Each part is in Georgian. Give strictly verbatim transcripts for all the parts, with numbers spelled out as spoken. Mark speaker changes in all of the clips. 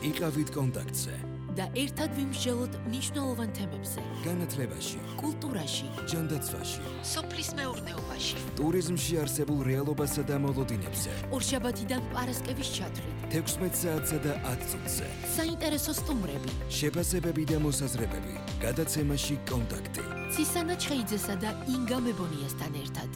Speaker 1: იყავით კონტაქტზე
Speaker 2: და ერთად ვიმსჯელოთ მნიშვნელოვან თემებზე.
Speaker 1: განათლებაში,
Speaker 2: კულტურაში,
Speaker 1: ჯანდაცვაში,
Speaker 2: სოფლის მეურნეობაში,
Speaker 1: ტურიზმში არსებულ რეალობასა და მოლოდინებზე.
Speaker 2: ორშაბათიდან პარასკევის ჩათვლით,
Speaker 1: თექვსმეტ საათსა და ათ წუთზე.
Speaker 2: საინტერესო სტუმრები,
Speaker 1: შეფასებები და მოსაზრებები. გადაცემაში კონტაქტი.
Speaker 2: ცისანა ჩხეიძესა და ინგა მებონიასთან ერთად.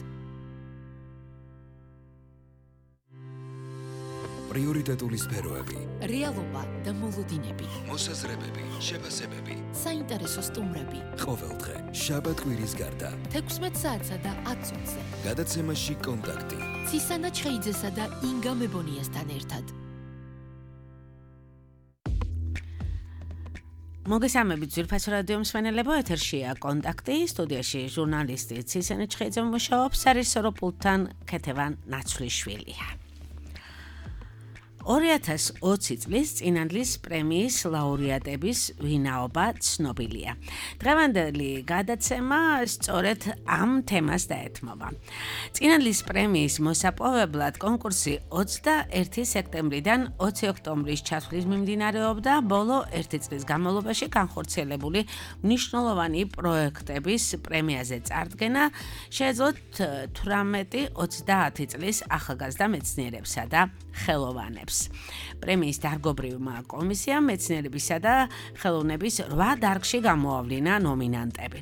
Speaker 1: პრიორიტეტული სფეროები.
Speaker 2: რეალობა და მოლოდინები.
Speaker 1: მოსაზრებები, შეფასებები.
Speaker 2: საინტერესო სტუმრები.
Speaker 1: ყოველდღე, შაბათ-კვირის გარდა.
Speaker 2: თექვსმეტ საათსა და ათ წუთზე.
Speaker 1: გადაცემაში კონტაქტი.
Speaker 2: ცისანა ჩხეიძესა და ინგა მებონიასთან ერთად.
Speaker 3: მოგესალმებით ძვირფასო რადიო მსმენელებო, ეთერშია კონტაქტი, სტუდიაში ჟურნალისტი ცისანა ჩხეიძე მუშაობს, სარისორო პულტთან ქეთევან ნაცვლიშვილია. ორი ათას ოცი წლის წინანდლის პრემიის ლაურეატების ვინაობა ცნობილია. დღევანდელი გადაცემა სწორედ ამ თემას დაეთმობა. წინანდლის პრემიის მოსაპოვებლად კონკურსი ოცდაერთი სექტემბრიდან ოცი ოქტომბრის ჩათვლის მიმდინარეობდა, ბოლო ერთი წლის განმავლობაში განხორციელებული მნიშვნელოვანი პროექტების პრემიაზე წარდგენა შეეძლოთ თვრამეტი ოცდაათი წლის ახალგაზრდა მეცნიერებსა და ხელოვანებს. პრემიის დარგობრივმა კომისიამ მეცნიერებისა და ხელოვნების რვა დარგში გამოავლინა ნომინანტები.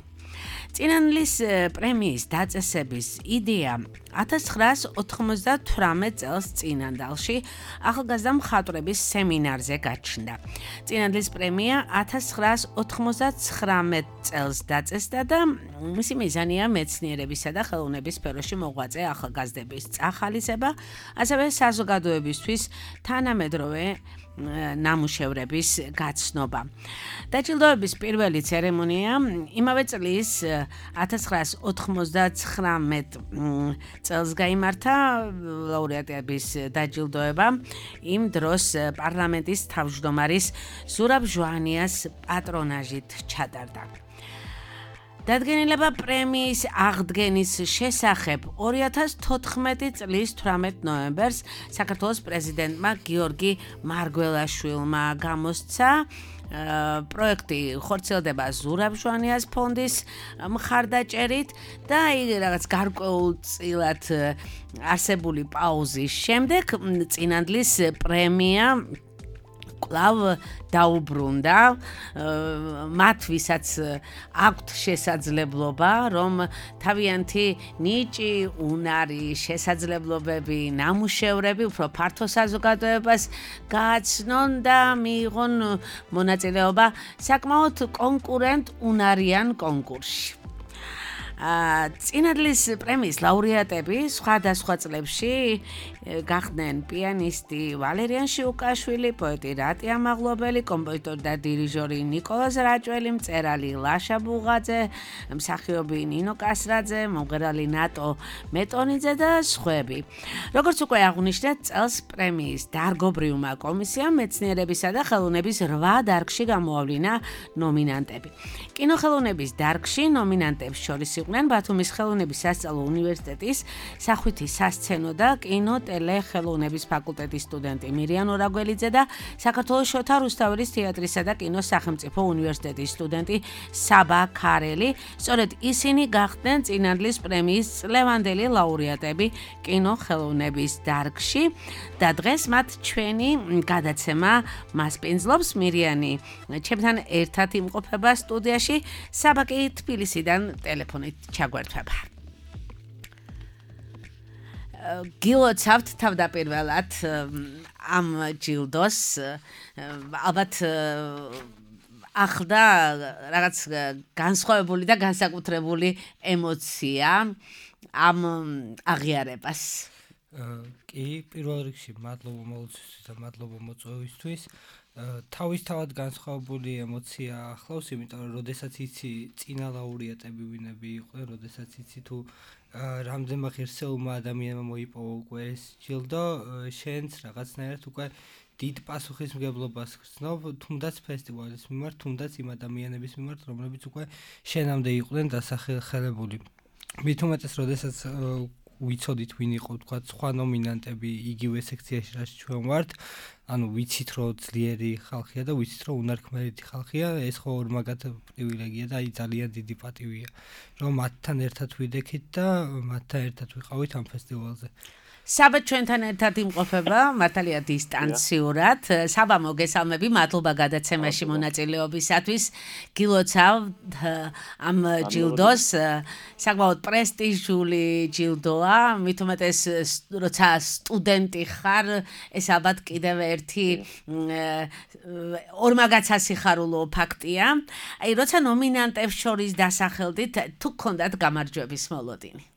Speaker 3: წინანდლის პრემიის დაწესების იდეა ათას ცხრაას ოთხმოცდათვრამეტ წელს წინანდალში ახალგაზრდა მხატვრების სემინარზე გაჩნდა. წინანდლის პრემია ათას ცხრაას ოთხმოცდაცხრამეტ წელს დაწესდა და მისი მიზანია მეცნიერებისა და ხელოვნების სფეროში მოღვაწე ახალგაზრდების წახალისება, ასევე საზოგადოებისთვის თანამედროვე ნამუშევრების გაცნობა. დაჯილდოების პირველი ცერემონია იმავე წლის ათას ცხრაას ოთხმოცდაცხრამეტ წელს გაიმართა. ლაურეატების დაჯილდოება იმ დროს პარლამენტის თავმჯდომარის ზურაბ ჟვანიას პატრონაჟით ჩატარდა. დადგენილება პრემიის აღდგენის შესახებ ორი ათას თოთხმეტი წლის თვრამეტ ნოემბერს საქართველოს პრეზიდენტმა გიორგი მარგველაშვილმა გამოსცა. პროექტი ხორციელდება ზურაბ ჟვანიას ფონდის მხარდაჭერით და რაღაც გარკვეულწილად არსებული პაუზის შემდეგ წინანდლის პრემია კვლავ დაუბრუნდა. მათ ვისაც აქვთ შესაძლებლობა, რომ თავიანთი ნიჭი, უნარი, შესაძლებლობები, ნამუშევრები უფრო ფართო საზოგადოებას გააცნონ და მიიღონ მონაწილეობა საკმაოდ კონკურენტ უნარიან კონკურსში. წინანდლის პრემიის ლაურეატები სხვადასხვა წლებში გახდნენ პიანისტი ვალერიან შიუკაშვილი, პოეტი რატი ამაღლობელი, კომპოზიტორი და დირიჟორი ნიკოლოზ რაჭველი, მწერალი ლაშა ბუღაძე, მსახიობი ნინო კასრაძე, მომღერალი ნატო მეტონიძე და სხვები. როგორც უკვე აღვნიშნეთ, წელს პრემიის დარგობრივმა კომისიამ მეცნიერებისა და ხელოვნების რვა დარგში გამოავლინა ნომინანტები. კინოხელოვნების დარგში ნომინანტებს შორის იყვნენ ბათუმის ხელოვნების სასწავლო უნივერსიტეტის სახვითი სასცენო და კინო ტელეხელოვნების ფაკულტეტის სტუდენტი მირიან ორაგველიძე და საქართველოს შოთა რუსთაველის თეატრისა და კინოს სახელმწიფო უნივერსიტეტის სტუდენტი საბა ქარელი. სწორედ ისინი გახდნენ წინანდლის პრემიის წლევანდელი ლაურეატები კინოხელოვნების დარგში და დღეს მათ ჩვენი გადაცემა მასპინძლობს. მირიანი ჩემთან ერთად იმყოფება სტუდიაში, საბა კი თბილისიდან ტელეფონით ჩაგვერთვება. გილოცავთ თავდაპირველად ამ ჯილდოს, ალბათ ახლდა რაღაც განსხვავებული და განსაკუთრებული ემოცია ამ აღიარებას.
Speaker 4: კი, პირველ რიგში მადლობა მოლოცვისთვის და მადლობა მოწვევისთვის. თავისთავად განსხვავებული ემოცია ახლავს, იმიტომ რომ როდესაც იცი წინა ლაურეატები ვინები იყვნენ, როდესაც იცი თუ რამდენმა ღირსეულმა ადამიანმა მოიპოვა უკვე ეს ჯილდო, შენც რაღაცნაირად უკვე დიდ პასუხისმგებლობას გრძნობ, თუნდაც ფესტივალის მიმართ, თუნდაც იმ ადამიანების მიმართ, რომლებიც უკვე შენამდე იყვნენ დასახელებული. მით უმეტეს, როდესაც ვიცოდით ვინ იყო თქვა სხვა ნომინანტები იგივე სექციაში რაც ჩვენ ვართ ანუ ვიცით რომ ძლიერი ხალხია და ვიცით რომ უნარქმედი ხალხია ეს ხო ორმაგად პრივილეგია და აი ძალიან დიდი პატივია რომ მათთან ერთად ვიდექით და მათთან ერთად ვიყავით ამ ფესტივალზე
Speaker 3: საბა ჩვენთან ერთად იმყოფება მართალია დისტანციურად საბა მოგესალმები მადლობა გადაცემაში მონაწილეობისათვის გილოცავთ ამ ჯილდოს საკმაოდ პრესტიჟული ჯილდოა მით უმეტეს როცა სტუდენტი ხარ ეს ალბათ კიდევ ერთი ორმაგად სასიხარულო ფაქტია აი როცა ნომინანტებს შორის დასახელდით თუ გქონდათ გამარჯვების მოლოდინი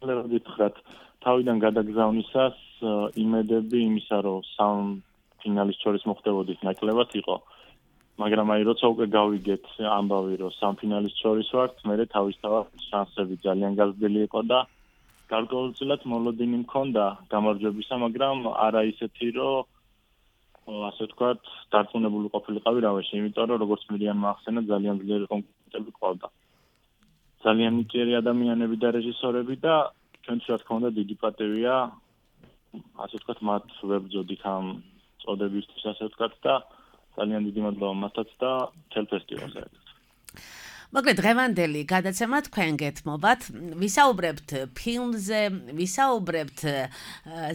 Speaker 5: ლეროდითხრათ თავიდან გადაგზავნისას იმედები იმისა რომ სამ ფინალის შორის მოხდებოდით ნაკლებად იყო მაგრამ აი როცა უკვე გავიგეთ ამბავი რომ სამ ფინალის შორის ვართ მე თავისთავად შანსები ძალიან გაზრდილი იყო და გარკვეულწილად მოლოდინი მქონდა გამარჯვებისა მაგრამ არა ისეთი რომ ასე ვთქვათ დარწმუნებული ყოფილიყავი რავაში იმიტომ რომ როგორც მირიანმა ახსენა ძალიან ძლიერი კონკურენტები ყავდა ძალიან ნიჭიერი ადამიანები და რეჟისორები და ჩვენც რა თქმა უნდა დიდი პატივია ასე ვთქვათ მათ ვებრძოდით ამ წოდებისთვის ასე ვთქვათ და ძალიან დიდი მადლობა მათაც და მთელ ფესტივალზე.
Speaker 3: მოკლედ დღევანდელი გადაცემა თქვენ გეთმობათ ვისაუბრებთ ფილმზე ვისაუბრებთ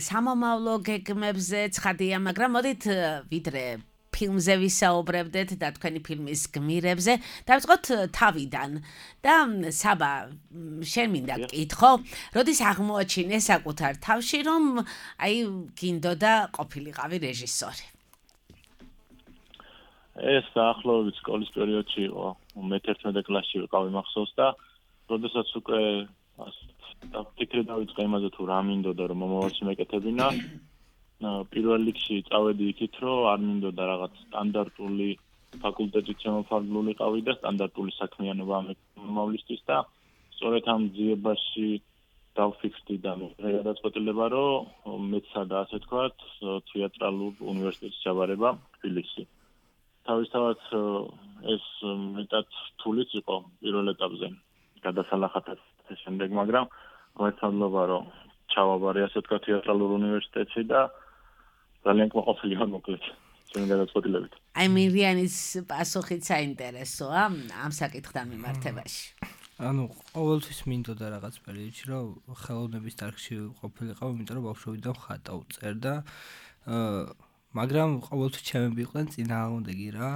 Speaker 3: სამომავლო გეგმებზე ცხადია მაგრამ მოდით ვიდრე ფილმზე ვისაუბრებდეთ და თქვენი φιλმის გმირებზე დავიწყოთ თავიდან და საბა შენ მინდა გკითხო როდის აღმოაჩინე საკუთარ თავში რომ აი გინდოდა ყოფილიყავი რეჟისორი
Speaker 5: ეს დაახლოებით სკოლის პერიოდში იყო მეთერთმეტე კლასში ვიყავი მახსოვს და როდესაც უკვე ფიქრი დავიწყე იმაზე თუ რა მინდოდა რომ მომავალში მეკეთებინა პირველ რიგში წავედი იქით რომ არ მინდოდა რაღაც სტანდარტული ფაკულტეტით შემოფარგლულიყავი და სტანდარტული საქმიანობა მომავლისთვის და სწორედ ამ ძიებაში დავფიქრდი და გადაწყვეტილება რომ მეცადა და ასე თქვათ თეატრალურ უნივერსიტეტში ჩაბარება თბილისში თავისთავად ეს მეტად თულიც იყო პირველ ეტაპზე გადასალახად შემდეგ მაგრამ მოეცადლობა რომ ჩავაბარე ასე თქვათ თეატრალურ უნივერსიტეტში და ძალიან კმაყოფილი ვარ მოკლედ ჩემი გადაწყვეტილებით.
Speaker 3: აი მირიანის პასუხიც საინტერესოა ამ საკითხთან მიმართებაში.
Speaker 4: ანუ ყოველთვის მინდოდა რაღაც პერიოდში რომ ხელოვნების დარგში ყოფილიყავ, იმიტომ რომ ბავშვობიდან ხატა უწერ და მაგრამ ყოველთვის ჩემები იყვნენ წინააღმდეგი რა.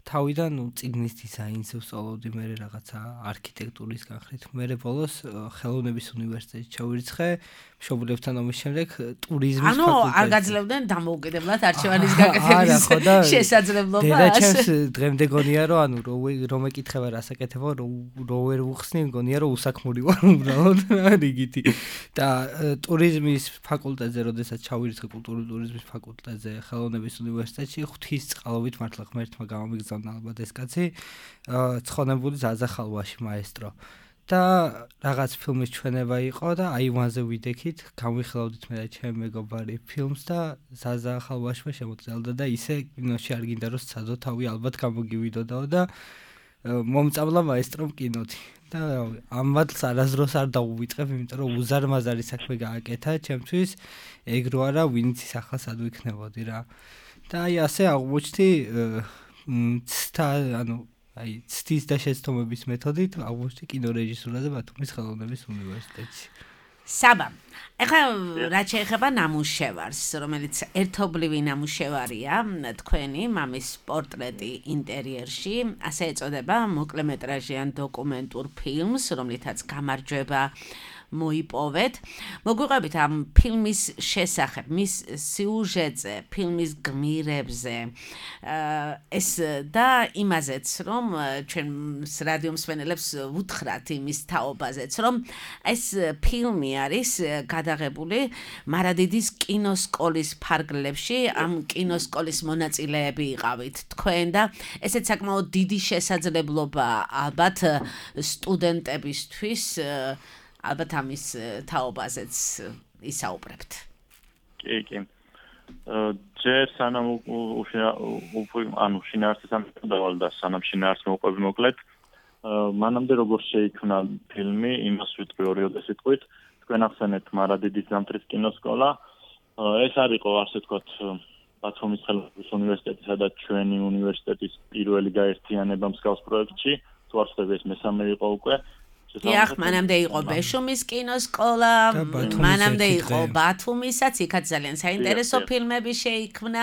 Speaker 4: თავიდან ნუ წიგნის დიზაინს ვსწავლობდი მე რაღაცა არქიტექტურის განხრით. მე ბოლოს ხელოვნების უნივერსიტეტში ჩავირიცხე მშობლებთან ომის შემდეგ ტურიზმის
Speaker 3: ფაკულტეტში. ანუ არ გაძლევდნენ დამოუკიდებლად არჩევანის გაკეთების შესაძლებლობას.
Speaker 4: და ჩემს დღემდე გონია რომ ანუ რომ ეკითხება რასაკეთებო რო ვერ ვუხსნი გონია რომ უსაქმური ვარ უბრალოდ რიგითი. და ტურიზმის ფაკულტეტზე როდესაც ჩავირიცხე კულტურული ტურიზმის ფაკულტეტზე ხელოვნების უნივერსიტეტში ღვთის წყალობით მართლა ღმერთმა გამომიგზავნა ალბათ ეს კაცი ცხონებული ზაზახალვაში მაესტრო და რაღაც ფილმის ჩვენება იყო და აივანზე ვიდექით გამიხელავდით მე და ჩემი მეგობარი ფილმს და ზაზახალვაშმა შემოწელდა და ისე კინოში არ გინდა რომ სცადო თავი ალბათ გამოგივიდოდაო და მომწამლა მაესტრომ კინოთი და ამ მადლს არასდროს არ დაუვიწყებ იმიტომ რომ უზარმაზარი საქმე გააკეთა ჩემთვის ეგ რო არა ვინც ის ახლა სად ვიქნებოდი რა და აი ასე აღმოჩნდი ცთა ანუ აი ცთის და შეცდომების მეთოდით აღმოჩნდი კინორეჟისურაზე ბათუმის ხელოვნების უნივერსიტეტში.
Speaker 3: საბა, ეხლა რაც შეეხება ნამუშევარს, რომელიც ერთობლივი ნამუშევარია, თქვენი მამის პორტრეტი ინტერიერში, ასე ეწოდება მოკლემეტრაჟიან დოკუმენტურ ფილმს, რომლითაც გამარჯვება მოიპოვეთ. მოგვიყვებით ამ ფილმის შესახებ, მის სიუჟეტზე, ფილმის გმირებზე, ეს და იმაზეც, რომ ჩვენ რადიო მსმენელებს ვუთხრათ იმის თაობაზეც, რომ ეს ფილმი არის გადაღებული მარადიდის კინოსკოლის ფარგლებში, ამ კინოსკოლის მონაწილეები იყავით თქვენ და ესეც საკმაოდ დიდი შესაძლებლობა ალბათ სტუდენტებისთვის ალბათ ამის თაობაზეც ისაუბრებთ.
Speaker 5: კი, კი. ჯერ სანამ ანუ შინაარსის ამბავი და სანამ შინაარს მოყვები მოკლედ, მანამდე როგორ შეიქმნა ფილმი, იმას ვიტყვი ორი სიტყვით. თქვენ ახსენეთ მარადიდის ზამთრის კინოსკოლა. ეს არის ყო ასე ვთქვათ ბათუმის ხელოვნების უნივერსიტეტი, სადაც ჩვენი უნივერსიტეტის პირველი გაერთიანება მსგავს პროექტში, თუ არ ვცდები ეს მესამე იყო უკვე.
Speaker 3: დიახ, მანამდე იყო ბეშუმის კინოსკოლა, მანამდე იყო ბათუმისაც, იქაც ძალიან საინტერესო ფილმები შეიქმნა,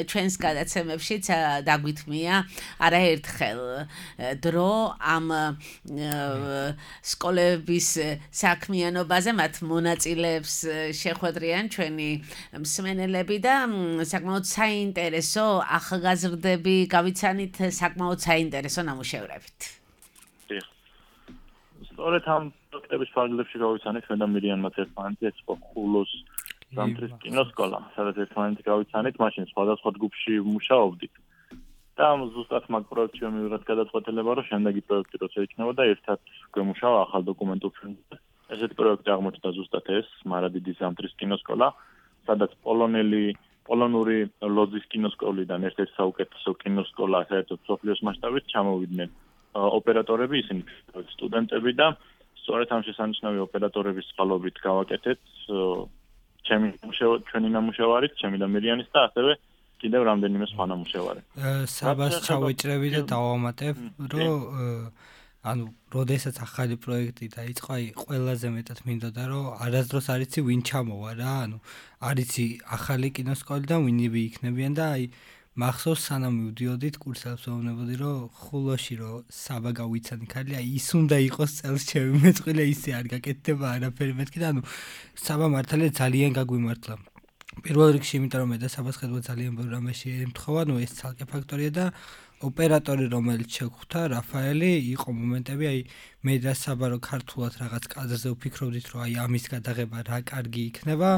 Speaker 3: ჩვენს გადაცემებშიც დაგვითმია არაერთხელ დრო ამ სკოლების საქმიანობაზე, მათ მონაწილეებს შეხვედრიან ჩვენი მსმენელები და საკმაოდ საინტერესო ახალგაზრდები გავიცანით საკმაოდ საინტერესო ნამუშევრებით.
Speaker 5: სწორედ ამ პროექტების ფარგლებში გავიცანით ჩვენ და მირიანმა ერთმანეთი, ეს იყო ხულოს ზამთრის კინოსკოლა, სადაც ერთმანეთი გავიცანით, მაშინ სხვადასხვა ჯგუფში მუშაობდით. და ზუსტად მაგ პროექტში მივიღეთ გადაწყვეტილება, რომ შემდეგი პროექტი როცა იქნებოდა, ერთად გვემუშავა ახალ დოკუმენტურ ფილმზე. ესეთი პროექტი აღმოჩნდა ზუსტად ეს, მარადიდის ზამთრის კინოსკოლა, სადაც პოლონელი პოლონური ლოძის კინოსკოლიდან ერთ-ერთი საუკეთესო კინოსკოლა საერთოდ მსოფლიოს მასშტაბით ჩამოვიდნენ ოპერატორები, ისინი სტუდენტები და სწორედ ამ შესანიშნავი ოპერატორების წყალობით გავაკეთეთ ჩემი ჩვენი ნამუშევარით, ჩემი და მირიანის და ასევე კიდევ რამდენიმე სხვა ნამუშევარი.
Speaker 4: საბას ჩავიჭრები და დავამატებ, რომ ანუ როდესაც ახალი პროექტი დაიწყო, აი ყველაზე მეტად მინდოდა, რომ არასდროს არ იცი ვინ ჩამოვა რა, ანუ არ იცი ახალი კინოსკოლი და ვინები იქნებიან და აი მახსოვს სანამ მივდიოდით კურსებს ვეუბნებოდი რომ ხულოში რომ საბა გავიცანი ხალხი აი ის უნდა იყოს წელს ჩემი მეწყვილე ისე არ გაკეთდება არაფერი მეთქი და ანუ საბა მართალია ძალიან გაგვიმართლა პირველ რიგში იმიტომ რომ მე და საბას ხედვა ძალიან ბევრ რამეში ემთხოვა ნუ ეს ცალკე ფაქტორია და ოპერატორი რომელიც შეგვხვდა რაფაელი იყო მომენტები აი მე და საბა რომ ქართულად რაღაც კადრზე ვფიქრობდით რომ აი ამის გადაღება რა კარგი იქნება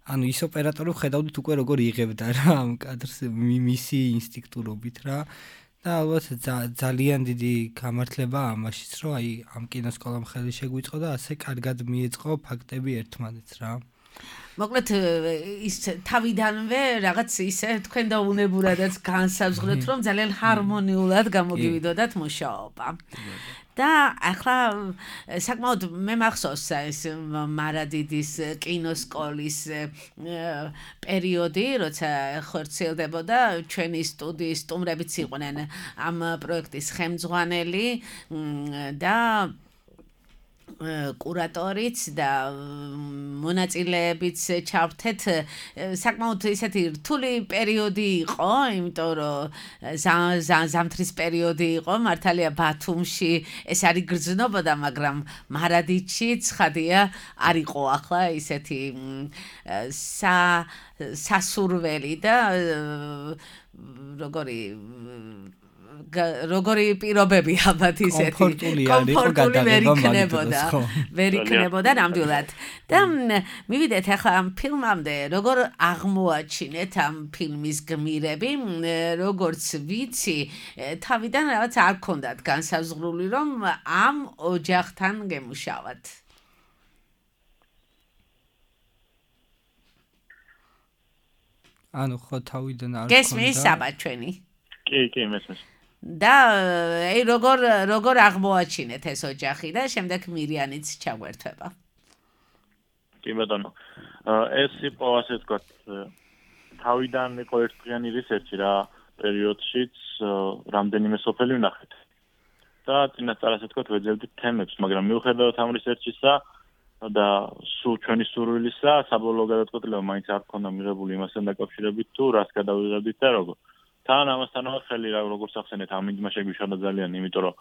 Speaker 4: ანუ ის ოპერატორი ხედავდით უკვე როგორ იღებდა რა ამ კადრს მისი ინსტინქტურობით რა და ალბათ ძალიან დიდი გამართლება ამაშიც რომ აი ამ კინოსკოლამ ხელი შეგვიწყო და ასე კარგად მიეწყო ფაქტები ერთმანეთს რა
Speaker 3: მოკლედ ის თავიდანვე რაღაც ისე თქვენ და უნებურადაც განსაზღვრეთ რომ ძალიან ჰარმონიულად გამოგივიდოდათ მუშაობა და ახლა საკმაოდ მე მახსოვს ეს მარადიდის კინოსკოლის პერიოდი, როცა ხორციელდებოდა ჩვენი სტუდიის სტუმრებიც იყვნენ ამ პროექტის ხელმძღვანელი და კურატორიც და მონაწილეებიც ჩავრთეთ საკმაოდ ისეთი რთული პერიოდი იყო, იმიტომ რომ ზამთრის პერიოდი იყო, მართალია ბათუმში ეს არის გრძნობოდა, მაგრამ მარადიდში ცხადია არ იყო ახლა ისეთი სასურველი და როგორი როგორი პირობები ალბათ ისეთი კომფორტული ვერ იქნებოდა ვერ იქნებოდა ნამდვილად და მივიდეთ ახლა ამ ფილმამდე როგორ აღმოაჩინეთ ამ ფილმის გმირები როგორც ვიცი თავიდან რაღაც არ ქონდათ განსაზღვრული რომ ამ ოჯახთან გემუშავათ
Speaker 4: ანუ ხო თავიდან არ ქონდა
Speaker 3: გესმის საბა ჩვენი
Speaker 5: კი კი მესმის
Speaker 3: და აი როგორ როგორ აღმოაჩინეთ ეს ოჯახი და შემდეგ მირიანიც ჩაგვერთვება.
Speaker 5: კი ბატონო. ეს იყო ასე ვთქვათ თავიდან იყო ერთდღიანი რისერჩი რა პერიოდშიც რამდენიმე სოფელი ვნახეთ. და წინასწარ ასე ვთქვათ ვეძებდით თემებს, მაგრამ მიუხედავად ამ რისერჩისა და სულ ჩვენი სურვილისა საბოლოო გადაწყვეტილება მაინც არ ქონდა მიღებული იმასთან დაკავშირებით თუ რას გადავიღებდით და როგორ თან ამასთანავე ხელი რა როგორც ახსენეთ ამ იმას შეგვიშალა ძალიან იმიტომ რომ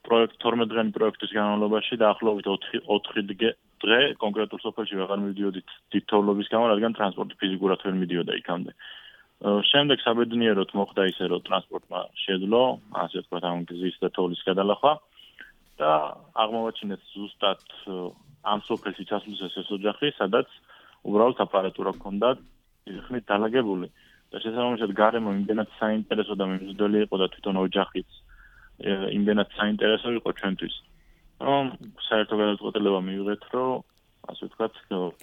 Speaker 5: პროექტ თორმეტ დღიანი პროექტის განმავლობაში დაახლოებით ოთხი დღე კონკრეტულ სოფელში ვეღარ მივდიოდით დიდთოვლობის გამო რადგან ტრანსპორტი ფიზიკურად ვერ მიდიოდა იქამდე შემდეგ საბედნიეროდ მოხდა ისე რომ ტრანსპორტმა შეძლო ასე ვთქვათ ამ გზის და თოვლის გადალახვა და აღმოვაჩინეთ ზუსტად ამ სოფელში ჩასვლისას ეს ოჯახი სადაც უბრალოდ აპარატურა ჰქონდა ხმით დალაგებული და შესაბამისად გარემო იმდენად საინტერესო და მიმზიდველი იყო და თვითონ ოჯახიც იმდენად საინტერესო იყო ჩვენთვის. რომ საერთო გადაწყვეტილება მივიღეთ, რომ ასე ვთქვათ,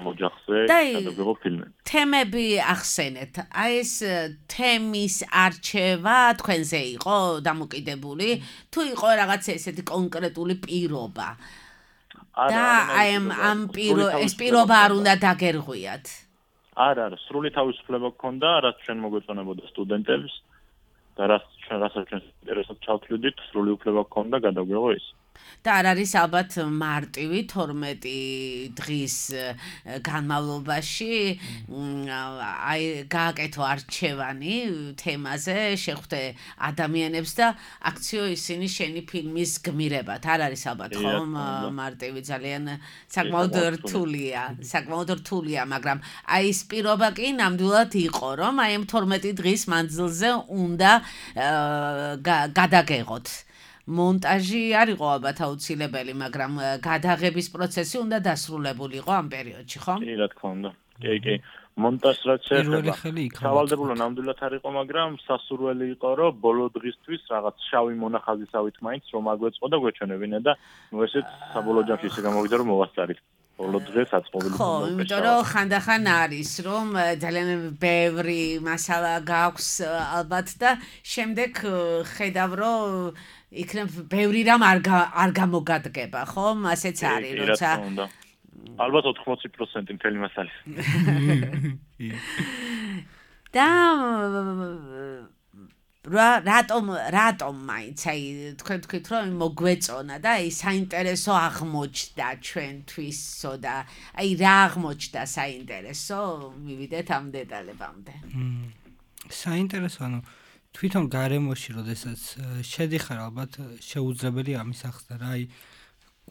Speaker 5: მოჯახზე გადაგიღო ფილმები.
Speaker 3: თემები ახსენეთ. აი ეს თემის არჩევა თქვენზე იყო დამოკიდებული, თუ იყო რაღაც ესეთი კონკრეტული პირობა? და აი ამ პირო ეს პირობა არ უნდა დაგერღვიათ.
Speaker 5: არა, არა, სრული თავისუფლება გქონდა, რაც ჩვენ მოგვეწონებოდა სტუდენტებს და რაც ჩვენ რასაც ჩვენ ინტერესად ჩავთვლიდით, სრული უფლება გქონდა გადავიღო ის.
Speaker 3: და არ არის ალბათ მარტივი თორმეტი დღის განმავლობაში აი გააკეთო არჩევანი თემაზე, შეხვდე ადამიანებს და აქციო ისინი შენი ფილმის გმირებად. არ არის ალბათ ხომ მარტივი, ძალიან საკმაოდ რთულია, საკმაოდ რთულია, მაგრამ აი ეს პირობა კი ნამდვილად იყო, რომ აი ამ თორმეტი დღის მანძილზე უნდა გადაგეღოთ. მონტაჟი არ იყო ალბათ აუცილებელი, მაგრამ გადაღების პროცესი უნდა დასრულებულიყო ამ პერიოდში, ხო?
Speaker 5: კი, რა თქმა უნდა. კი, კი. მონტაჟს რაც შეეხება, სავალდებულო ნამდვილად არ იყო, მაგრამ სასურველი იყო, რომ ბოლო დღისთვის რაღაც შავი მონახაზისავით მაინც რომ აგვეწყო და გვეჩვენებინა და ნუ ესეც საბოლოო ჯამში ისე გამოვიდა, რომ მოვასწარით. ბოლო დღეს აწყობილი
Speaker 3: ხო, იმიტომ რომ ხანდახან არის, რომ ძალიან ბევრი მასალა გაქვს ალბათ და შემდეგ ხედავ, რომ იქნებ ბევრი რამ არ არ გამოგადგება, ხო? ასეც არის, როცა
Speaker 5: ალბათ ოთხმოცი პროცენტი მთელი მასალის.
Speaker 3: და რატომ რატომ მაინც აი თქვენ თქვით რომ მოგვეწონა და აი საინტერესო აღმოჩნდა ჩვენთვისო და აი რა აღმოჩნდა საინტერესო, მივიდეთ ამ დეტალებამდე.
Speaker 4: საინტერესო, ანუ თვითონ გარემოში, როდესაც შედიხარ, ალბათ შეუძლებელი ამის ახსნა რა, აი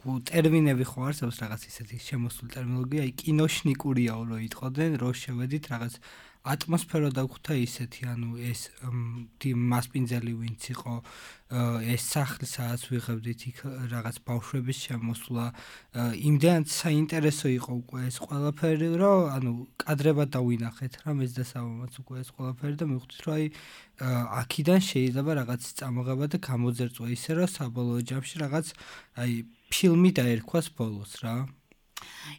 Speaker 4: ტერმინები ხო არსებობს რაღაც ისეთი შემოსული ტერმინოლოგია, აი კინოშნიკურია რო იტყოდნენ, რო შევედით რაღაც ატმოსფერო დაგვხვდა ისეთი, ანუ ეს მასპინძელი ვინც იყო, ეს სახლი სადაც ვიღებდით იქ რაღაც ბავშვების შემოსვლა, იმდენად საინტერესო იყო უკვე ეს ყველაფერი, რომ ანუ კადრებად დავინახეთ რა მეც და სამამაც უკვე ეს ყველაფერი და მივხვდით, რომ აი აქიდან შეიძლება რაღაც წამოღება და გამოძერწვა ისე, რომ საბოლოო ჯამში რაღაც აი ფილმი დაერქვას ბოლოს რა.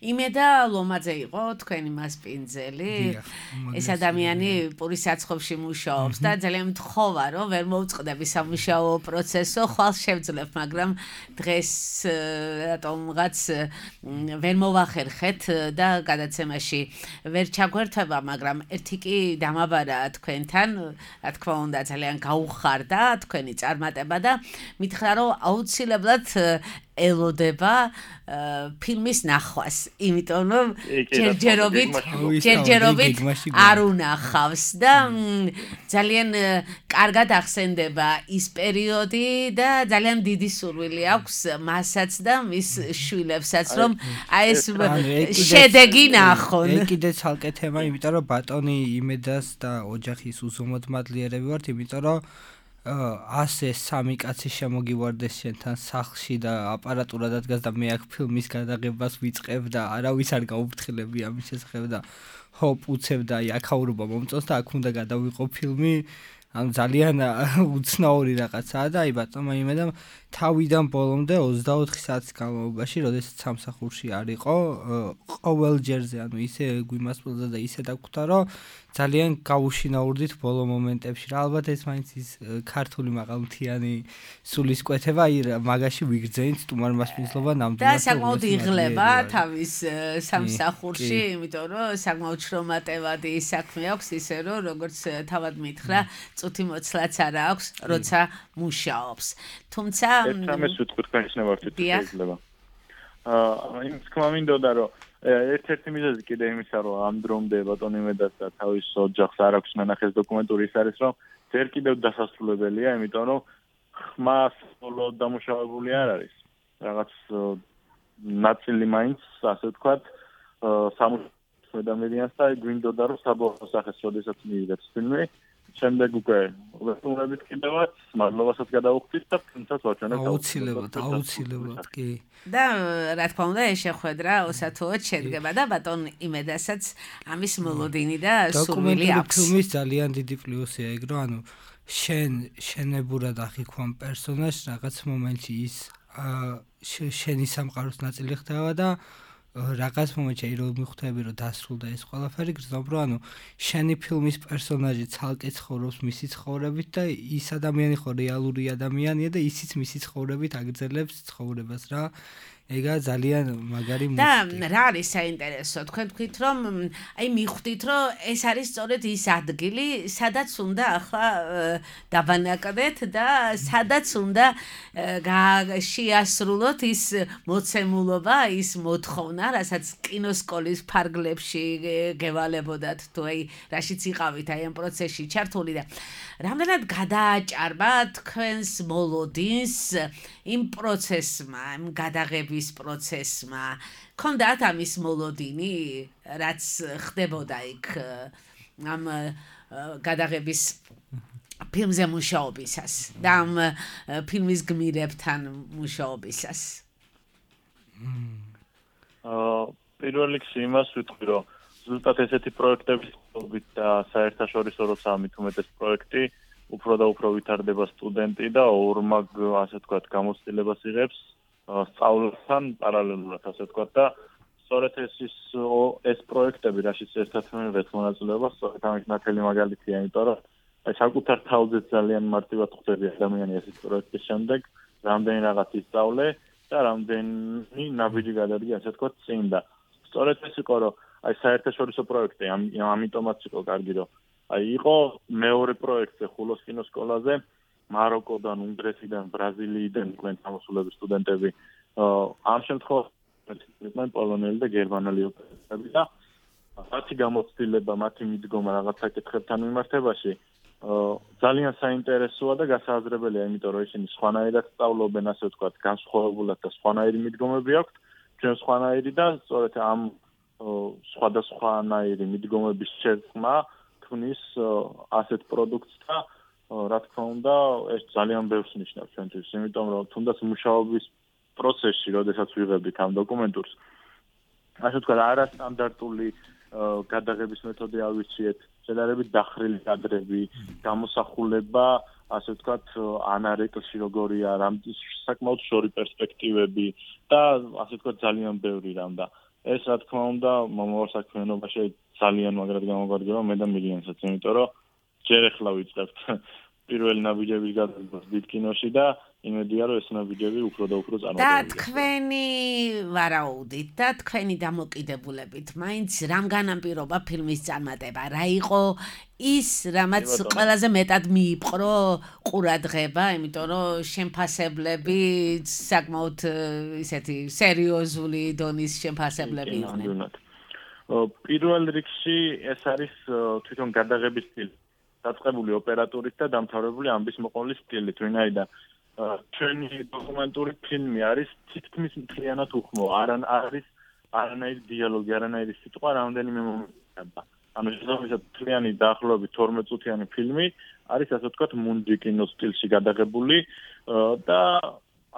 Speaker 3: იმედა ლომაძე იყო თქვენი მასპინძელი. ეს ადამიანი პურის საცხობში მუშაობს და ძალიან მთხოვა, რომ ვერ მოვწყდები სამუშაო პროცესო, ხვალ შევძლებ, მაგრამ დღეს რატომღაც ვერ მოვახერხეთ და გადაცემაში ვერ ჩაგვერთვება, მაგრამ ერთი კი დამაბარა თქვენთან, რა თქმა უნდა, ძალიან გაუხარდა თქვენი წარმატება და მითხრა, რომ აუცილებლად ელოდება ფილმის ნახვას, იმიტომ რომ ჯერჯერობით ჯერჯერობით არ უნახავს და ძალიან კარგად ახსენდება ის პერიოდი და ძალიან დიდი სურვილი აქვს მასაც და მის შვილებსაც, რომ აი ეს შედეგი ნახონ.
Speaker 4: ეგ კიდე ცალკე თემა, იმიტომ რომ ბატონი იმედას და ოჯახის უზომოდ მადლიერები ვართ, იმიტომ რომ ასე სამი კაცი შემოგივარდეს შენთან სახლში და აპარატურა დადგას და მე აქ ფილმის გადაღებას ვიწყებ და არავის არ გაუფრთხილები ამის შესახებ და ჰოპ უცებ და აი აქაურობა მომწონს და აქ უნდა გადავიყო ფილმი, ანუ ძალიან უცნაური რაღაცაა და აი ბატონმა იმედა თავიდან ბოლომდე ოცდაოთხი საათის განმავლობაში, როდესაც სამსახურში არ იყო, ყოველ ჯერზე, ანუ ისე გვიმასპილდა და ისე დაგხვდა, რომ ძალიან გავუშინაურდით ბოლო მომენტებში. რა ალბათ ეს მაინც ის ქართული მაღალმთიანი სულისკვეთება, აი მაგაში ვიგრძენით სტუმარ მასპინძლობა ნამდვილად.
Speaker 3: და საკმაოდ იღლება თავის სამსახურში, იმიტომ რომ საკმაოდ შრომატევადი საქმე აქვს, ისე რომ როგორც თავად მითხრა, წუთი მოცლაც არა აქვს, როცა მუშაობს. თუმცა
Speaker 5: ერთამეს ვიტყვი თქვენის ნებართვით შეიძლება. აა იმის თქმა მინდოდა, რომ ერთ-ერთი მიზეზი კიდე იმისა, რომ ამ დრომდე ბატონი იმედას და თავის ოჯახს არ აქვს ნანახეს დოკუმენტური, ის არის, რომ ჯერ კიდევ დასასრულებელია, იმიტომ რომ ხმა სოლოდ დამუშავებული არ არის. რაღაც ნაწილი მაინც, ასე ვთქვათ, სამუშაო ადამიანს და გვინდოდა, რომ საბოლოო სახეს როდესაც მიიღებს ფილმი, შემდეგ უკვე ვერტუნებით კიდევაც მადლობასაც გადავუხდით და ფილმსაც ვაჩვენებთ.
Speaker 4: აუცილებლად, აუცილებლად, კი.
Speaker 3: და რა თქმა უნდა, ეს შეხვედრა ოსათუოდ შედგება და ბატონ იმედასაც ამის მოლოდინი და სურვილი აქვს.
Speaker 4: ფილმის ძალიან დიდი პლუსია ეგ, რომ ანუ შენ შენებურად აღიქვამ პერსონაჟს რაღაც მომენტში ის შენი სამყაროს ნაწილი ხდება და რაღაც მომენტში რომ მიხვდები რომ დასრულდა ეს ყველაფერი გრძნობ რომ ანუ შენი ფილმის პერსონაჟი ცალკე ცხოვრობს მისი ცხოვრებით და ის ადამიანი ხო რეალური ადამიანია და ისიც მისი ცხოვრებით აგრძელებს ცხოვრებას რა ეგა ძალიან მაგარი
Speaker 3: მუსიკა. და რა არის საინტერესო, თქვენ თქვით რომ აი მიხვდით რომ ეს არის სწორედ ის ადგილი, სადაც უნდა ახლა დაბანაკდეთ და სადაც უნდა შეასრულოთ ის მოცემულობა, ის მოთხოვნა, რასაც კინოსკოლის ფარგლებში გევალებოდათ თუ აი რაშიც იყავით აი ამ პროცესში ჩართული და რამდენად გადააჭარბა თქვენს მოლოდინს იმ პროცესმა, იმ გადაღების პროცესმა. Ქონდათ ამის მოლოდინი, რაც ხდებოდა იქ ამ გადაღების ფილმზე მუშაობისას და ამ ფილმის გმირებთან მუშაობისას.
Speaker 5: აა პირველ რიგში იმას ვიტყვი, რომ ზუსტად ესეთი პროექტების ხობით და საერთაშორისო როცა ამით უმეტეს პროექტი უფრო და უფრო ვითარდება სტუდენტი და ორმაგ ასე ვთქვათ გამოცდილებას იღებს სწავლასთან პარალელურად ასე ვთქვათ და სწორედ ეს ის ეს პროექტები რაშიც ერთად მიიღეთ მონაწილეობას სწორედ ამის ნათელი მაგალითია იმიტომ რომ აი საკუთარ თავზე ძალიან მარტივად ხვდები ადამიანი ესეთ პროექტის შემდეგ რამდენი რაღაც ისწავლე და რამდენი ნაბიჯი გადადგა ასე ვთქვათ წინ და სწორედ ეს იყო რომ აი საერთაშორისო პროექტი ამიტომაც იყო კარგი რომ აი იყო მეორე პროექტზე ხულოს კინოსკოლაზე მაროკოდან, უნგრეთიდან, ბრაზილიიდან იყვნენ გამოსულები სტუდენტები. ამ შემთხვევაში იყვნენ პოლონელი და გერმანელი ოპერატორები და მათი გამოცდილება, მათი მიდგომა რაღაც საკითხებთან მიმართებაში ძალიან საინტერესოა და გასააზრებელია, იმიტომ რომ ისინი სხვანაირად სწავლობენ, ასე ვთქვათ, განსხვავებულად და სხვანაირი მიდგომები აქვთ. ჩვენ სხვანაირი და სწორედ ამ სხვადასხვანაირი მიდგომების შერწყმა ქმნის ასეთ პროდუქტს და რა თქმა უნდა, ეს ძალიან ბევრს ნიშნავს ჩვენთვის, იმიტომ რომ თუნდაც მუშაობის პროცესში, როდესაც ვიღებდით ამ დოკუმენტურს, ასე ვთქვათ, არასტანდარტული გადაღების მეთოდი ავირჩიეთ, შედარებით დახრილი კადრები, გამოსახულება, ასე ვთქვათ, ანარეკლში როგორია, საკმაოდ შორი პერსპექტივები და ასე ვთქვათ, ძალიან ბევრი რამ და ეს რა თქმა უნდა, მომავალ საქმიანობაში ძალიან მაგრად გამოგვადგება მე და მილიონსაც, იმიტომ რომ ჯერ ახლა ვიწყებთ პირველი ნაბიჯების გადაღებას დიდ კინოში და იმედია რომ ეს ნაბიჯები უფრო და უფრო წარმოდგენილია. და
Speaker 3: თქვენი ვარაუდით და თქვენი დამოკიდებულებით, მაინც რამ განაპირობა ფილმის წარმატება? რა იყო ის, რამაც ყველაზე მეტად მიიპყრო ყურადღება, იმიტომ რომ შემფასებლები საკმაოდ ისეთი სერიოზული დონის შემფასებლები იყვნენ.
Speaker 5: პირველ რიგში ეს არის თვითონ გადაღების სტილი. დაწყებული ოპერატორით და დამთავრებული ამბის მოყოლის სტილით, ვინაიდან ჩვენი დოკუმენტური ფილმი არის თითქმის მთლიანად უხმო, არ არის არანაირი დიალოგი, არანაირი სიტყვა, რამდენიმე მომენტი. ანუ შესაბამისად მთლიანი დაახლოებით თორმეტ წუთიანი ფილმი არის ასე ვთქვათ მუნჯი კინოს სტილში გადაღებული და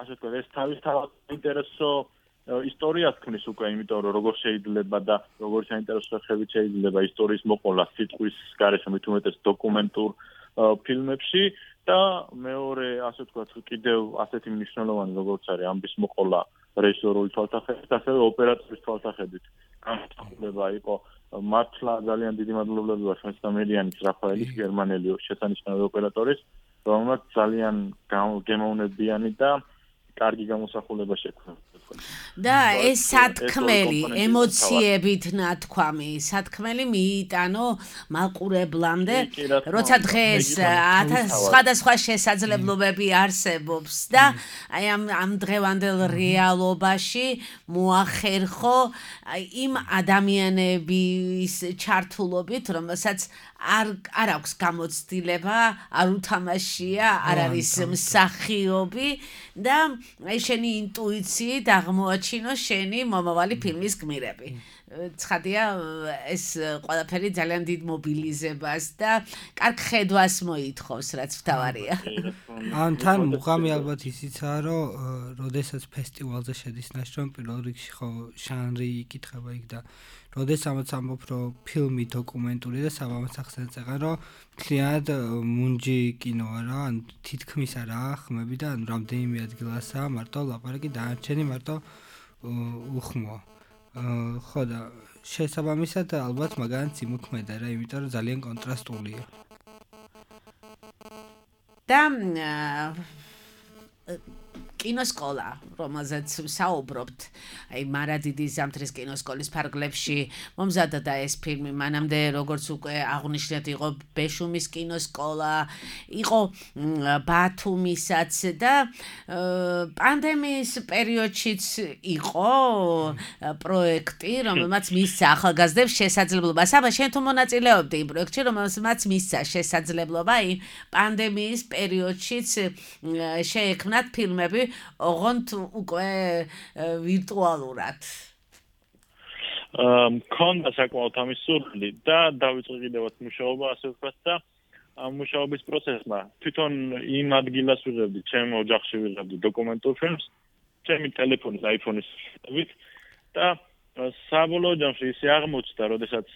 Speaker 5: ასე ვთქვათ ეს თავისთავად საინტერესო ისტორიას ქმნის უკვე, იმიტომ რომ როგორ შეიძლება და როგორ საინტერესო სახებით შეიძლება ისტორიის მოყოლა სიტყვის გარეშე მით უმეტეს დოკუმენტურ ფილმებში და მეორე ასე ვთქვათ კიდევ ასეთი მნიშვნელოვანი როგორც არის ამბის მოყოლა რეჟისორული თვალსაჩინო, ასევე ოპერატორის თვალსაჩინო. გამოსახულება იყო მართლა ძალიან დიდი მადლობლები ვარ ჩვენს სამედიანის რაფაელის გერმანელი შესანიშნავი ოპერატორის, რომელმაც ძალიან გემოვნებიანი და კარგი გამოსახულება შექმნა.
Speaker 3: და ეს სათქმელი ემოციებით ნათქვამი, სათქმელი მიიტანო მაყურებლამდე, როცა დღეს სხვადასხვა შესაძლებლობები არსებობს და აი ამ ამ დღევანდელ რეალობაში მოახერხო იმ ადამიანების ჩართულობით, რომელსაც არ არ აქვს გამოცდილება, არ უთამაშია, არ არის მსახიობი და აი შენი ინტუიციით აღმოაჩინო შენი მომავალი ფილმის გმირები. ცხადია ეს ყველაფერი ძალიან დიდ მობილიზებას და კარგ ხედვას მოითხოვს, რაც ვთავარია.
Speaker 4: ან თან მუღამი ალბათ ისიცაა, რომ როდესაც ფესტივალზე შედის ნაშრომი, პირველ რიგში ხო ჟანრი იკითხება იქ და როდესაც ამბობ, რომ ფილმი დოკუმენტური და საბამას ახსენებს, რომ მთლიანად მუნჯი კინოა რა, ან თითქმის არა ხმები და ანუ რამდენიმე ადგილასაა მარტო ლაპარაკი, დანარჩენი მარტო უხმოა. აა ხო და შესაბამისად ალბათ მაგანაც იმოქმედა რა, იმიტომ რომ ძალიან კონტრასტულია.
Speaker 3: და კინოსკოლა, რომელზეც საუბრობთ, აი მარადიდის ზამთრის კინოსკოლის ფარგლებში მომზადდა ეს ფილმი, მანამდე როგორც უკვე აღნიშნეთ, იყო ბეშუმის კინოსკოლა, იყო ბათუმისაც და პანდემიის პერიოდშიც იყო პროექტი, რომელმაც მისცა ახალგაზრდებს შესაძლებლობა. საბა, შენ თუ მონაწილეობდი იმ პროექტში, რომელმაც მისცა შესაძლებლობა იმ პანდემიის პერიოდშიც შეექმნათ ფილმები ოღონდ უკვე ვირტუალურად.
Speaker 5: მქონდა საკმაოდ ამის სურვილი და დავიწყე კიდევაც მუშაობა, ასე ვთქვათ და ამ მუშაობის პროცესმა თვითონ იმ ადგილას ვიღებდი, ჩემ ოჯახში ვიღებდი დოკუმენტურ ფილმს, ჩემი ტელეფონის, iPhone-ის შევით და საბოლოო ჯამში ისე აღმოჩნდა, როდესაც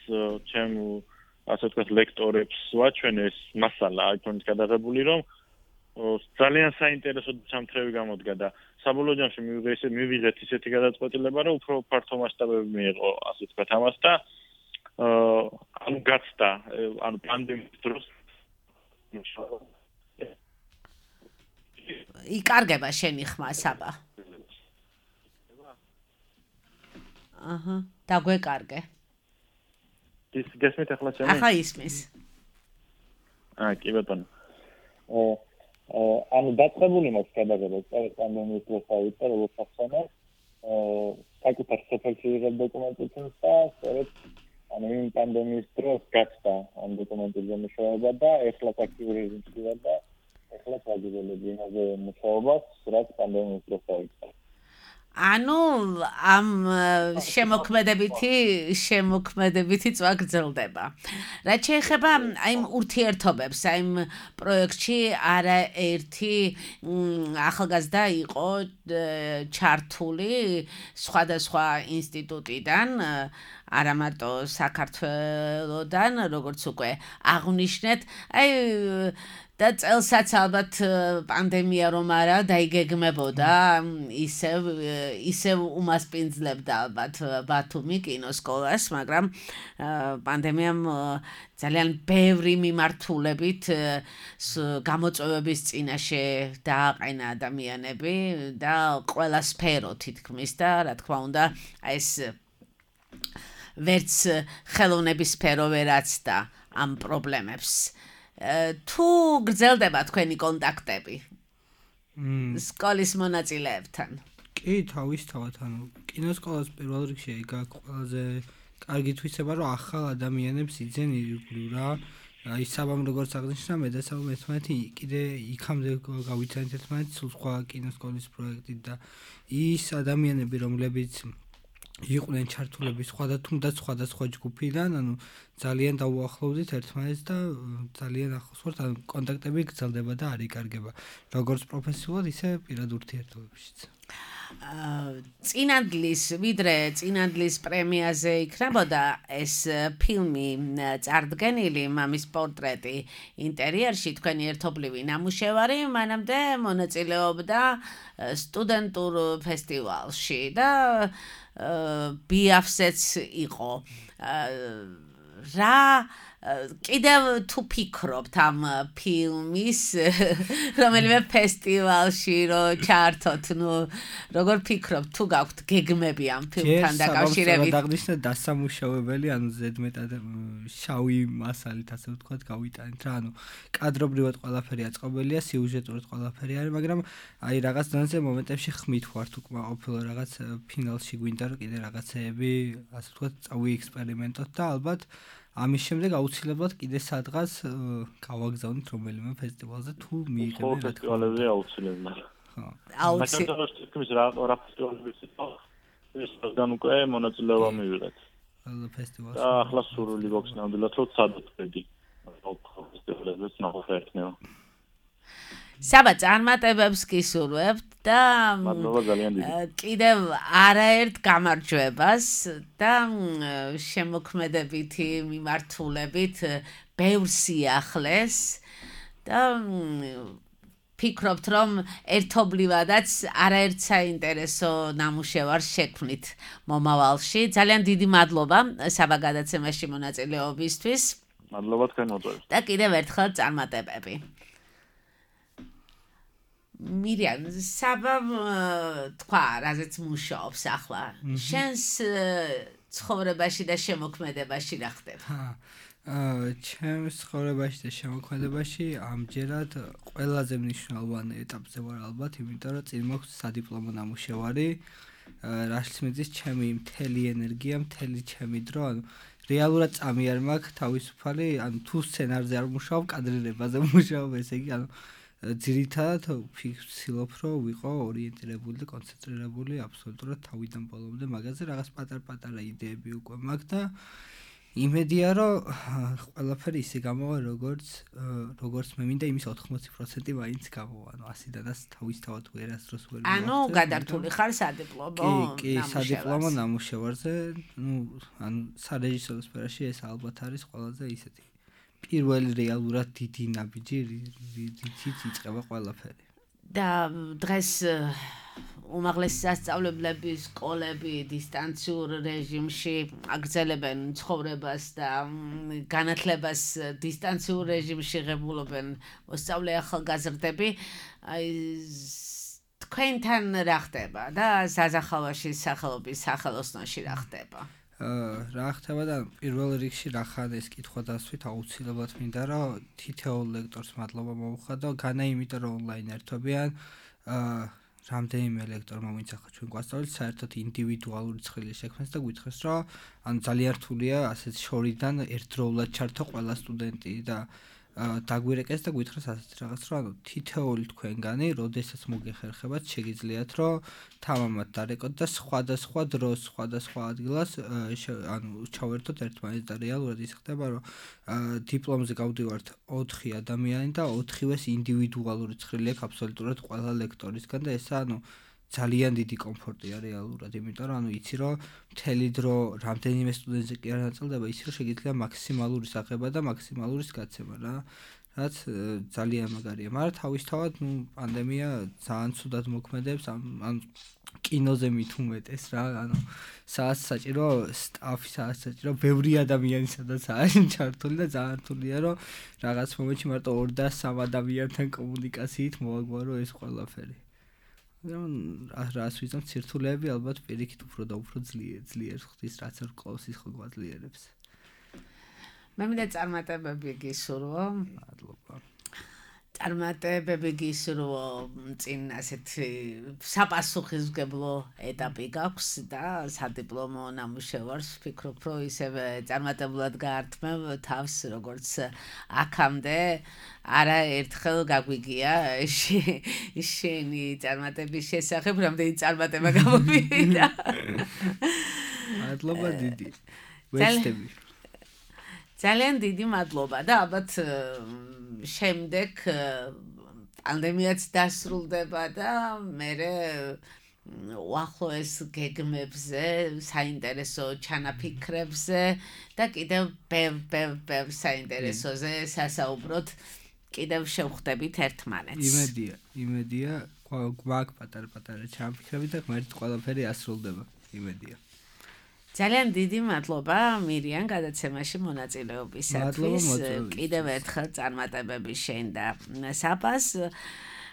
Speaker 5: ჩემ ასე ვთქვათ ლექტორებს ვაჩვენე ეს მასალა iPhone-ის გადაღებული, რომ ძალიან საინტერესო ჩამთრევი გამოდგა და საბოლოო ჯამში მივიღე ისე მივიღეთ ისეთი გადაწყვეტილება, რომ უფრო ფართო მასშტაბები მიიღო, ასე ვთქვათ, ამას და ანუ გაცდა, ანუ პანდემიის დროს
Speaker 3: იკარგება შენი ხმა, საბა. აჰა, დაგვეკარგე.
Speaker 5: ის გესმით ახლა ჩემი?
Speaker 3: ახლა ისმის.
Speaker 5: აა, კი ბატონო. ანუ დაწყებული მაქვს გადაღება წელს პანდემიის დროს ავიდა, როგორც ახსენე, საკუთარ სოფელში ვიღებ დოკუმენტურ ფილმს და სწორედ ანუ იმ პანდემიის დროს გაცდა ამ დოკუმენტური მუშაობა და ეხლა აქტიური რეჟიმში ვარ და ეხლა ვაგრძელებ იმაზე მუშაობას, რაც პანდემიის დროს ავიდა.
Speaker 3: ანუ ამ შემოქმედებითი შემოქმედებითი წვა გრძელდება. რაც შეეხება აი იმ ურთიერთობებს, აი იმ პროექტში არაერთი ახალგაზრდა იყო ჩართული სხვადასხვა ინსტიტუტიდან, არა მარტო საქართველოდან, როგორც უკვე აღნიშნეთ, აი და წელსაც ალბათ პანდემია რომ არა დაიგეგმებოდა, ისევ ისევ უმასპინძლებდა ალბათ ბათუმი კინოსკოლას, მაგრამ პანდემიამ ძალიან ბევრი მიმართულებით გამოწვევების წინაშე დააყენა ადამიანები და ყველა სფერო თითქმის და რა თქმა უნდა ეს ვერც ხელოვნების სფერო ვერ აცდა ამ პრობლემებს. თუ გრძელდება თქვენი კონტაქტები სკოლის მონაწილეებთან?
Speaker 4: კი, თავისთავად, ანუ კინოსკოლას პირველ რიგში გაქვს ყველაზე კარგი თვისება, რომ ახალ ადამიანებს იძენ ირგვლივ რა. აი საბამ როგორც აღნიშნა, მე და საბამ ერთმანეთი კიდე იქამდე გავიცანით ერთმანეთს სულ სხვა კინოსკოლის პროექტით და ის ადამიანები, რომლებიც იყვნენ ჩართულები სხვა თუნდაც სხვადასხვა ჯგუფიდან, ანუ ძალიან დაუახლოვდით ერთმანეთს და ძალიან ახლოს ვართ, ანუ კონტაქტები გრძელდება და არ იკარგება, როგორც პროფესიულად, ისე პირად ურთიერთობებშიც.
Speaker 3: წინადლის, ვიდრე წინადლის პრემიაზე იქნებოდა ეს ფილმი წარდგენილი, მამის პორტრეტი ინტერიერში, თქვენი ერთობლივი ნამუშევარი, მანამდე მონაწილეობდა სტუდენტურ ფესტივალში და ბიაფსეც იყო. რა კიდევ თუ ფიქრობთ ამ ფილმის რომელიმე ფესტივალში რომ ჩართოთ, ნუ როგორ ფიქრობთ, თუ გაქვთ გეგმები ამ ფილმთან დაკავშირებით?
Speaker 4: დაგნიშნა დასამუშავებელი, ანუ ზედმეტად შავი მასალით, ასე ვთქვათ, გავიტანეთ რა, ანუ კადრობრივად ყველაფერი აწყობილია, სიუჟეტურად ყველაფერი არის, მაგრამ აი რაღაც დონეზე მომენტებში ხმით ვართ უკმაყოფილო, რაღაც ფინალში გვინდა რომ კიდე რაღაცეები, ასე ვთქვათ, წავიექსპერიმენტოთ და ალბათ ამის შემდეგ აუცილებლად კიდე სადღაც გავაგზავნით რომელიმე ფესტივალზე თუ მიიღებთ.
Speaker 5: ხო, ფესტივალებზე აუცილებლად.
Speaker 3: ხო. აუცილებლად.
Speaker 5: მაგრამ თქმის რა რა ფესტივალების ის გან უკვე მონაწილეობა მივიღეთ.
Speaker 4: ფესტივალში.
Speaker 5: და ახლა სურვილი გვაქვს ნამდვილად რომ სადაწყვეტი. ფესტივალებიც ნახოთ.
Speaker 3: საბა წარმატებებს გისურვებთ და
Speaker 5: მადლობა ძალიან დიდი.
Speaker 3: კიდევ არაერთ გამარჯვებას და შემოქმედებითი მიმართულებით ბევრ სიახლეს და ფიქრობთ, რომ ერთობლივადაც არაერთ საინტერესო ნამუშევარს შექმნით მომავალში. ძალიან დიდი მადლობა საბა გადაცემაში მონაწილეობისთვის.
Speaker 5: მადლობა თქვენ მოწვევით.
Speaker 3: და კიდევ ერთხელ წარმატებები. მირიან, საბა თქვა, რაზეც მუშაობს ახლა. შენს ცხოვრებაში და შემოქმედებაში რა ხდება?
Speaker 4: აა, ჩემს ცხოვრებაში და შემოქმედებაში ამჯერად ყველაზე მნიშვნელოვანი ეტაპზე ვარ ალბათ, იმიტომ რომ წინ მაქვს სადიპლომო ნამუშევარი, რაშიც მიდის ჩემი მთელი ენერგია, მთელი ჩემი დრო, ანუ რეალურად წამი არ მაქვს თავისუფალი, ანუ თუ სცენარზე არ მუშაობ, კადრირებაზე მუშაობ, ესე იგი, ანუ ძირითადად ვფიქრობ, რომ ვიყო ორიენტირებული და კონცენტრირებული აბსოლუტურად თავიდან ბოლომდე მაგაზე, რაღაც პატარ-პატარა იდეები უკვე მაქვს და იმედია, რომ ყველაფერი ისე გამოვა, როგორც როგორც მე მინდა, იმის ოთხმოცი პროცენტი მაინც გამოვა, ანუ ასიდანაც თავისთავად ვერასდროს ვერ მივახცევ.
Speaker 3: ანუ გადართული ხარ სადიპლომო
Speaker 4: ნამუშევარზე? კი, კი, სადიპლომო ნამუშევარზე, ну, ანუ სარეჟისორო სფეროში ეს ალბათ არის ყველაზე ისეთი პირველი რეალურად დიდი ნაბიჯი, რითიც იწყება ყველაფერი.
Speaker 3: და დღეს უმაღლესი სასწავლებლები, სკოლები დისტანციურ რეჟიმში აგრძელებენ ცხოვრებას და განათლებას დისტანციურ რეჟიმში ღებულობენ მოსწავლე ახალგაზრდები. აი თქვენთან რა ხდება და საზახავაში სახელობის სახელოსნოში რა ხდება?
Speaker 4: აა რა ხდება და პირველ რიგში რა ხარ ეს კითხვა დასვით აუცილებლად მინდა რომ თითოეულ ლექტორს მადლობა მოუხადო, განა იმიტომ რომ ონლაინ ერთობიან აა რამდენიმე ლექტორმა ვინც ახლა ჩვენ გვასწავლეთ საერთოდ ინდივიდუალური ცხრილი შექმნეს და გვითხრეს რომ ანუ ძალიან რთულია ასეთ შორიდან ერთდროულად ჩართო ყველა სტუდენტი და დაგვირეკეს და გვითხრეს ასეთ რაღაც რომ ანუ თითოეული თქვენგანი როდესაც მოგეხერხებათ შეგიძლიათ რომ თამამად დარეკოთ და სხვადასხვა დროს სხვადასხვა ადგილას ანუ ჩავერთოთ ერთმანეთს და რეალურად ის ხდება რომ დიპლომზე გავდივართ ოთხი ადამიანი და ოთხივეს ინდივიდუალური ცხრილი აქვს აბსოლუტურად ყველა ლექტორისგან და ესა ანუ ძალიან დიდი კომფორტია რეალურად, იმიტომ რომ ანუ იცი რომ მთელი დრო რამდენიმე სტუდენტზე კი არ ნაწილდება, იცი რომ შეგიძლია მაქსიმალური აღება და მაქსიმალური გაცემა რა, რაც ძალიან მაგარია. მაგრამ თავისთავად ნუ პანდემია ძალიან ცუდად მოქმედებს, ანუ კინოზე მით უმეტეს რა, ანუ სადაც საჭირო სტაფი, სადაც საჭირო ბევრი ადამიანი სადაც არის ჩართული და ძალიან რთულია რომ რაღაც მომენტში მარტო ორ და სამ ადამიანთან კომუნიკაციით მოვაგვარო ეს ყველაფერი. რას ვიზამ ცირთულეები ალბათ პირიქით უფრო და უფრო ძლიერ ძლიერ ხდის რაც არ ყავს ის ხო გვაძლიერებს.
Speaker 3: მე მინდა წარმატებები გისურვო.
Speaker 4: მადლობა.
Speaker 3: წარმატებები გისურვო წინ ასეთი საპასუხისმგებლო ეტაპი გაქვს და სადიპლომო ნამუშევარს ვფიქრობ რომ ისევე წარმატებულად გაართმევ თავს როგორც აქამდე არა ერთხელ გაგვიგია შენი წარმატების შესახებ რამდენი წარმატება გამომივიდა.
Speaker 4: მადლობა დიდი. ვეცდები.
Speaker 3: ძალიან დიდი მადლობა და ალბათ შემდეგ პანდემიაც დასრულდება და მერე უახლოეს გეგმებზე, საინტერესო ჩანაფიქრებზე და კიდევ ბევრ ბევრ ბევრ საინტერესოზე სასაუბროთ კიდევ შევხვდებით ერთმანეთს.
Speaker 4: იმედია, იმედია გვაქვს პატარ-პატარა ჩანაფიქრები და ღმერთით ყველაფერი ასრულდება. იმედია.
Speaker 3: ძალიან დიდი მადლობა მირიან გადაცემაში მონაწილეობისათვის. კიდევ ერთხელ წარმატებები შენ და საბას.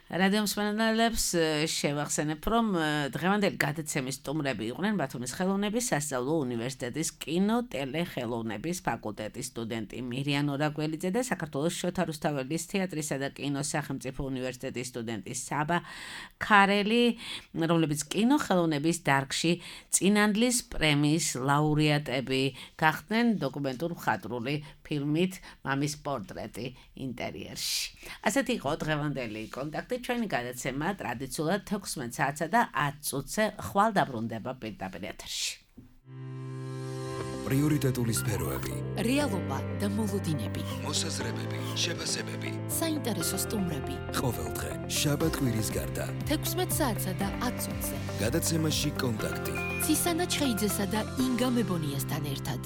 Speaker 3: რადიო მსმენელებს შევახსენებ, რომ დღევანდელი გადაცემის სტუმრები იყვნენ ბათუმის ხელოვნების სასწავლო უნივერსიტეტის კინო-ტელეხელოვნების ფაკულტეტის სტუდენტი მირიან ორაგველიძე და საქართველოს შოთა რუსთაველის თეატრისა და კინოს სახელმწიფო უნივერსიტეტის სტუდენტი საბა ქარელი, რომლებიც კინო-ხელოვნების დარგში წინანდლის პრემიის ლაურეატები გახდნენ დოკუმენტურ მხატვრული ფილმით მამის პორტრეტი ინტერიერში. ასეთი იყო დღევანდელი კონტაქტი. ჩვენი გადაცემა ტრადიციულად თექვსმეტ საათსა და ათ წუთზე ხვალ დაბრუნდება პირდაპირ ეთერში.
Speaker 1: პრიორიტეტული სფეროები,
Speaker 2: რეალობა და მოლოდინები,
Speaker 1: მოსაზრებები, შეფასებები,
Speaker 2: საინტერესო სტუმრები.
Speaker 1: ყოველდღე შაბათ-კვირის გარდა
Speaker 2: თექვსმეტ საათსა და ათ წუთზე.
Speaker 1: გადაცემაში კონტაქტი.
Speaker 2: ცისანა ჩხეიძესა და ინგა მებონიასთან ერთად.